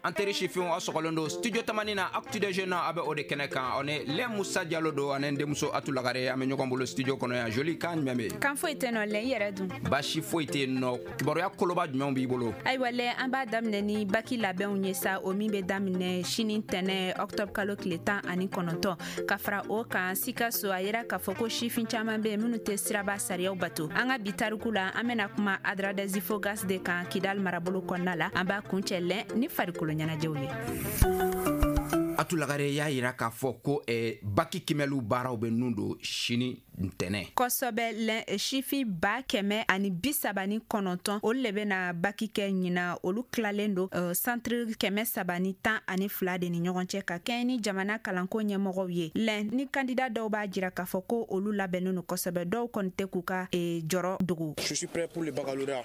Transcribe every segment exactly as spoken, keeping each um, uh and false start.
An teri sifinw, aw sɔgɔlen don Studio Tamani na, Actu des Jeunes, a bɛ o de kɛnɛ kan. Aw ni Lɛ Musa Jalo don, ani n denmuso Atu Lagare, an bɛ ɲɔgɔn bolo studio kɔnɔ yan. Joli kan jumɛn bɛ yen? Kan foyi tɛ nɔ lɛ, i yɛrɛ dun? Baasi foyi tɛ yen nɔ. Kibaruya koloba jumɛnw b'i bolo? Ayiwa lɛ, an b'a daminɛ ni baki labɛnw ye sa, o min bɛ daminɛ sini tɛnɛ, octobre kalo tile tan ani kɔnɔntɔn. Ka fara o kan, Sikaso, a yira k'a fɔ ko sifin caman bɛ yen minnu tɛ siraba sariyaw bato. An ka bi tariku la, an bɛna kuma Adrar des Ifoghas de kan, Kidal marabolo kɔnɔna la. An b'a kuncɛ lɛ ni farikolo ɲɛnajɛw ye. Atu Lagare y'a yira k'a fɔ ko eh, baki kimɛliw baaraw bɛ nun don sini ntɛnɛ. Kosɛbɛ lɛ, sifin ba kɛmɛ ani bi saba ni kɔnɔntɔn, olu le bɛna baki kɛ ɲina. Olu tilalen don uh, centre kɛmɛ saba ni tan ani fila de ni ɲɔgɔn cɛ, ka kɛɲɛ ni jamana kalanko ɲɛmɔgɔw ye. Lɛn ni kandida dɔw b'a jira k'a fɔ ko olu labɛnnen don kosɛbɛ, dɔw kɔni tɛ k'u ka e, jɔrɔ dogo.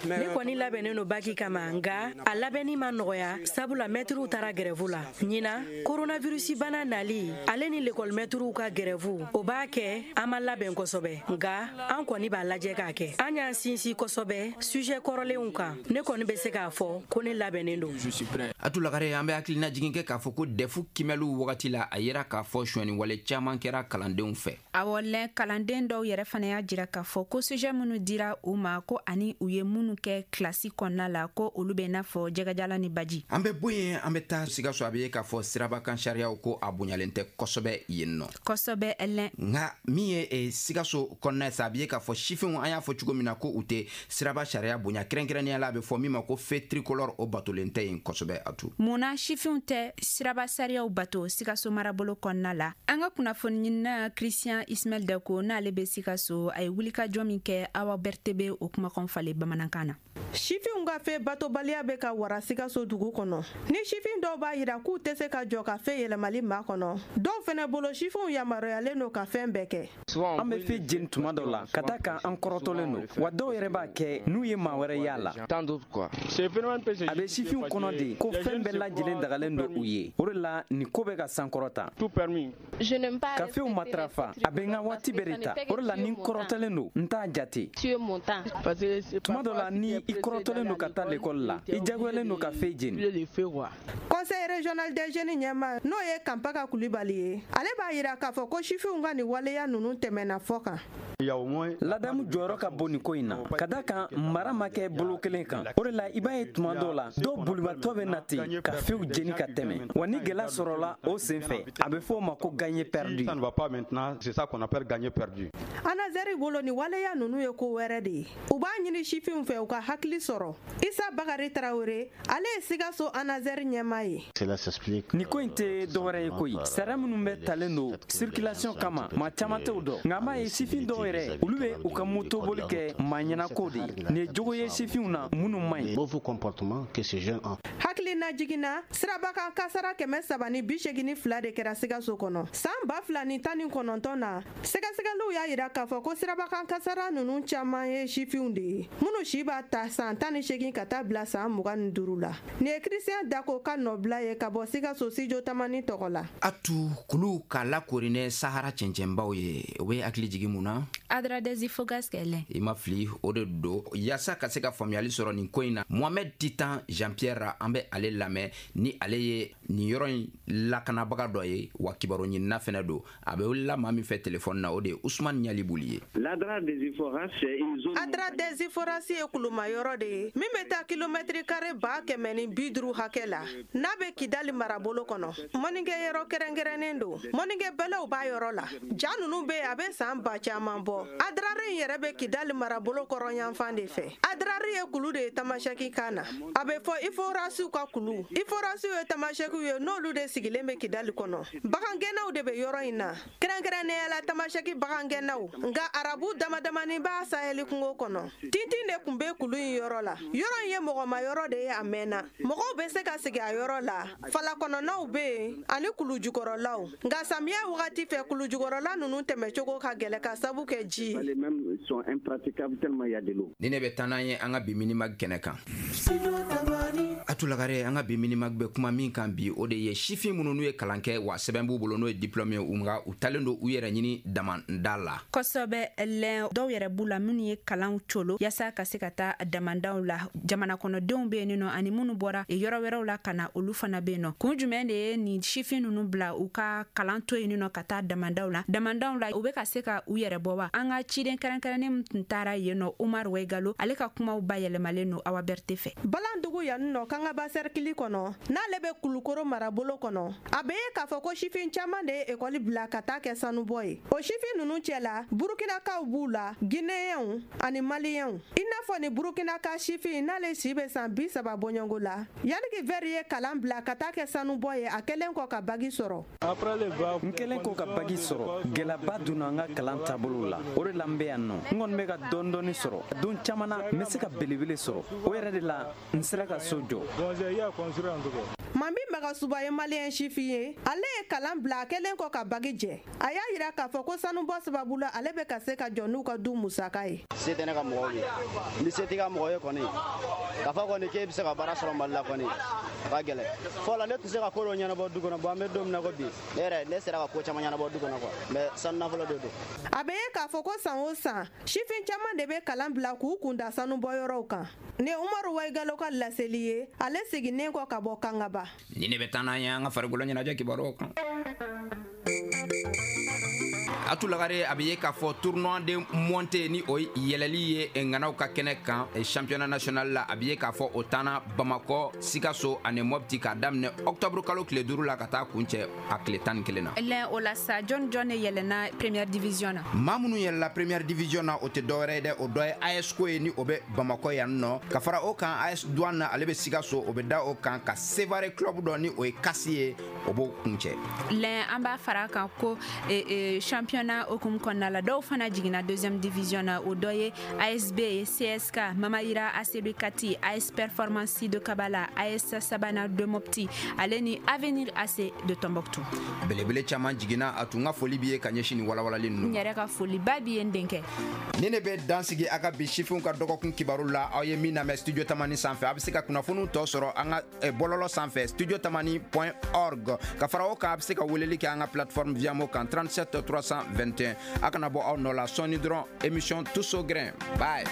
Ne kɔni labɛnnen don baki kama, nga a labɛnni ma nɔgɔya, sabula mɛtiriw taara grève la ɲina. Koronavirusi bana nali, ale ni lekɔlimɛtiriw ka grève, o b'a kɛ an ma labɛn kosɛbɛ, nga an kɔni b'a lajɛ k'a kɛ. An y'an sinsin kosɛbɛ sujet kɔrɔlenw kan. Ne kɔni bɛ se k'a fɔ ko ne labɛnnen don. Atu Lagare, an bɛ hakilina jigin kɛ k'a fɔ ko D E F kimɛliw wagati la, a yira k'a fɔ sonyɛni wale caaman kɛra kalandenw fɛ. Awɔ lɛ, kalanden dɔw yɛrɛ fana y'a jira k'a fɔ ko sujet minnu dira u ma, ko ani u ye minnu kɛ kilasi kɔnɔna la, ko olu bɛ n'a fɔ jɛgɛjala ni baji. An bɛ bɔ yen, an bɛ taa Sikaso. A bɛ ye k'a fɔ sirabakan sariyaw, ko a bonyalen tɛ kosɛbɛ yen nɔ. Kosɛbɛ lɛ. Nka min ye eh, Sikaso kɔnɔna ye sa, a bɛ ye k'a fɔ sifinw, an y'a fɔ cogo min na, ko u tɛ siraba sariya bonya. Kɛrɛnkɛrɛnnenya la, a bɛ fɔ min ma ko feu tricolore, o batolen tɛ yen kosɛbɛ, a tu. Munna sifinw tɛ siraba sariyaw bato Sikaso marabolo kɔnɔna la? An ka kunnafoni ɲinina Christian Ismael Dako, n'ale bɛ Sikaso, a ye wulikajɔ min kɛ, Awa Berte bɛ o kumakan falen bamanankan na. Sifinw ka feu batobaliya bɛ ka wara Sikaso dugu kɔnɔ. Ni sifin dɔw b'a yira k'u tɛ se ka jɔ ka feu yɛlɛmali ma kɔnɔ, dɔw fɛnɛ bolo, sifinw yamaruyalen don ka fɛn bɛɛ kɛ. An bɛ feu jeni tuma dɔ la, ka da kan an kɔrɔtɔlen don wa. Dɔw yɛrɛ b'a kɛ n'u ye maa wɛrɛ y'a la. A bɛ sifinw kɔnɔ de ko fɛn bɛɛ lajɛlen dagalen don u ye. O de la nin ko bɛ ka sankɔrɔta. Ka feuw matarafa, a bɛ n ka waati bɛɛ de ta. O de la ni n kɔrɔtɔlen don, n t'a jate. Tuma dɔ la, ni i kɔrɔtɔlen don ka taa lekɔli la, i jagoyalen don ka feu jeni. Conseil régional des jeunes ɲɛma, n'o ye Kanpaka Kulibali ye, ale b'a yira k'a fɔ ko sifinw ka nin waleya ninnu tɛmɛna fɔ kan. Ladamu jɔyɔrɔ ka bon nin ko in na, ka da kan mara ma kɛ bolo kelen kan. O de la i b'a ye tuma dɔw la, dɔw bolibatɔ bɛ na ten ka feuw jeni ka tɛmɛ wa. Ni gɛlɛya sɔrɔla o sen fɛ, a bɛ fɔ o ma ko gagné perdu. ANASER bolo, nin waleya ninnu ye ko wɛrɛ de ye. U b'a ɲini sifinw fɛ, u ka hakili sɔrɔ. Isa Bakari Tarawele, ale ye Sikaso ANASER ɲɛma ye. Nin ko in tɛ dɔwɛrɛ ye koyi, sariya minnu bɛ talen don circulation kama, maa caman t'o dɔn. Nka an b'a ye sifin dɔw yɛrɛ, olu bɛ u ka motoboli kɛ maa ɲɛnako de ye. Nin ye jogo ye sifinw na minnu man ɲi. Hakilina jiginna, sirabakan kasara kɛmɛ saba ni bi segin ni fila de kɛra Sikaso kɔnɔ san ba fila ni tan ni kɔnɔntɔn na. Sɛgɛsɛgɛliw y'a yira k'a fɔ ko sirabakan kasara ninnu caman ye sifinw de ye, minnu si b'a ta san tan ni segin ka taa bila san mugan ni duuru la. Nin ye Christian Dako ka nɔbila ye ka bɔ Sikaso, Studio Tamani tɔgɔ la. Atu, kulu k'a lakorinɛ Sahara cɛncɛnbaw ye, o bɛ hakili jigin mun na? Adrar des Ifoghas kɛlɛ. I ma fili, o de don. Yaasa ka se ka faamuyali sɔrɔ nin ko in na, Mohamed Titan Jean Pierre, an bɛ ale lamɛn, ni ale ye nin yɔrɔ in lakanabaga dɔ ye wa, kibaru ɲinina fɛnɛ don. A bɛ wulila maa min fɛ telefɔni na, o de ye Usman Ɲalibuli ye. Adrar des Ifoghas ye kuluma yɔrɔ de ye min bɛ taa kilomɛtiri kare ba kɛmɛ ni bi duuru hakɛ la, n'a bɛ Kidali marabolo kɔnɔ. Mɔnikɛ yɔrɔ kɛrɛnkɛrɛnnen don, mɔnikɛ bɛlɛw b'a yɔrɔ la. Ja ninnu bɛ yen, a bɛ san ba caman bɔ. Adrari in yɛrɛ bɛ Kidali marabolo kɔrɔnyanfan de fɛ. Adrari ye kulu de ye Tamasɛki kan na, a bɛ fɔ Iforasiw ka kulu. Iforasiw ye Tamasɛkiw ye, n'olu de sigilen bɛ Kidali kɔnɔ. Bagangɛnnaw de bɛ yɔrɔ in na, kɛrɛnkɛrɛnnenya la Tamasɛki bagangɛnnaw, nka Arabu damadamani b'a Sahɛli kungo kɔnɔ. Tintin de tun bɛ kulu in yɔrɔ la. Yɔrɔ in ye mɔgɔma yɔrɔ de ye a mɛnna, mɔgɔw bɛ se ka sigi a yɔrɔ la. Fala kɔnɔnaw bɛ yen ani kulu jukɔrɔlaw, nka samiya wagati fɛ, kulu jukɔrɔla ninnu tɛmɛcogo ka gɛlɛ ka sabu kɛ ji ye. Ni ne bɛ taa n'an ye an ka bi Minimag kɛnɛ kan. A Atou Lagare, an ka bi minimag bɛ kuma min kan bi, o de ye sifin minnu n'u ye kalan kɛ wa sɛbɛn b'u bolo, n'o ye diplôme ye, u nka u talen don u yɛrɛ ɲini damanda la. Kosɛbɛ lɛn, dɔw yɛrɛ b'u la minnu ye kalanw colo yaasa ka se ka taa damandaw la. Jamana kɔnɔdenw bɛ yen nɔ, ani minnu bɔra yɔrɔ wɛrɛw la ka na, olu fana bɛ yen nɔ. Kun jumɛn de ye nin sifin ninnu bila u ka kalan to yen nɔ ka taa damandaw la? Damandaw la, u bɛ ka se ka u yɛrɛ bɔ wa? An ka ciden kɛrɛnkɛrɛnnen min tun taara yen nɔ, Umar Wegalo, ale ka kumaw bayɛlɛmalen don Awa Berte fɛ. Balandugu yan nɔ, Kangaba sɛrikili kɔnɔ, n'ale bɛ Kulukoro marabolo kɔnɔ, a bɛ ye k'a fɔ ko sifin caman de ye ekɔli bila ka taa kɛ sanubɔ ye. O sifin ninnu cɛ la, Burukinakaw b'u la, Gineyɛnw ani Maliyɛnw. I n'a fɔ ni Burukinaka sifin n'ale si bɛ san bi saba bɔɲɔgɔnko la, Yannick Vɛri ye kalan bila ka taa kɛ sanubɔ ye a kɛlen kɔ ka bagi sɔrɔ. N kɛlen kɔ ka bagi sɔrɔ, gɛlɛyaba donna n ka kalan taabolo la. O de la n bɛ yan nɔ. N kɔni bɛ ka dɔɔni dɔɔni sɔrɔ. Don caman na, n bɛ se ka belebele sɔrɔ. O yɛrɛ de la, n sera ka so jɔ. Mami Magasuba ye maliyɛn sifin ye. Ale ye kalan bila a kɛlen kɔ ka bagi jɛ. A y'a yira k'a fɔ ko sanubɔ sababu la, ale bɛ ka se ka jɔ n'u ka du musaka ye. Se tɛ ne ka mɔgɔw ye. Ni se t'i ka mɔgɔ ye kɔni, k'a fɔ kɔni k'e bɛ se ka baara sɔrɔ Mali la kɔni, a ka gɛlɛn. Fɔlɔ ne tun se ka ko dɔ ɲɛnabɔ du kɔnɔ, bon an bɛ don min na ko bi, ne yɛrɛ ne sera ka ko caman ɲɛnabɔ du kɔnɔ quoi, mais sanu nafolo de don. A bɛ ye k'a fɔ ko san o san, sifin caman de bɛ kalan bila k'u kun da sanubɔyɔrɔw kan. Ni Umaru Waigalo ka laseli ye, ale seginnen kɔ ka bɔ Kangaba. Ni ne bɛ taa n'an ye an ka farikolo ɲɛnajɛ kibaruyaw kan. Atou Lagare, a bɛ ye k'a fɔ tournoi de montée, ni o ye yɛlɛli ye ŋanaw ka kɛnɛ kan championnat national la, a bɛ ye k'a fɔ o taana Bamakɔ, Sikaso ani Mopti k'a daminɛ octobre kalo tile duuru la ka taa kuncɛ a tile tan ni kelen na. Lɛn, o la sa, jɔn jɔn de yɛlɛnna première division na? Maa minnu yɛlɛla première division na, o tɛ dɔwɛrɛ ye dɛ, o dɔ ye A S C O ye, ni o bɛ Bamakɔ yan nɔ. Ka fara o kan, A S Douane, ale bɛ Sikaso, o bɛ da o kan ka Sevare club dɔ, ni o ye Kasi ye, o b'o kuncɛ. Lɛn, an b'a fara a kan ko championnat hukumu kɔnɔna la, dɔw fana jiginna deuxième division na. O dɔ ye A S B, C S K, Mamayira A C B Kati, A S Performance de Kabala, A S Sabana de Mopti, ale ni Avenir A C de Tombouctou. Belebele caman jiginna. A tun ka foli b'i ye ka ɲɛsin nin walawalali ninnu. N yɛrɛ ka foliba b'i ye, n denkɛ. Ni ne bɛ dan sigi a ka bi sifinw ka dɔgɔkun kibaru la, aw ye min lamɛn Studio Tamani sanfɛ. A bɛ se ka kunnafoniw tɔ sɔrɔ an ka bɔlɔlɔ sanfɛ, studio tamani point org. Ka fara o kan, a bɛ se ka weleli kɛ an ka plateforme Viamo kan, trente-sept trois cent vingt et un. A kana bɔ aw nɔ la, sɔɔni dɔrɔn, émission Tous au grain. Bye.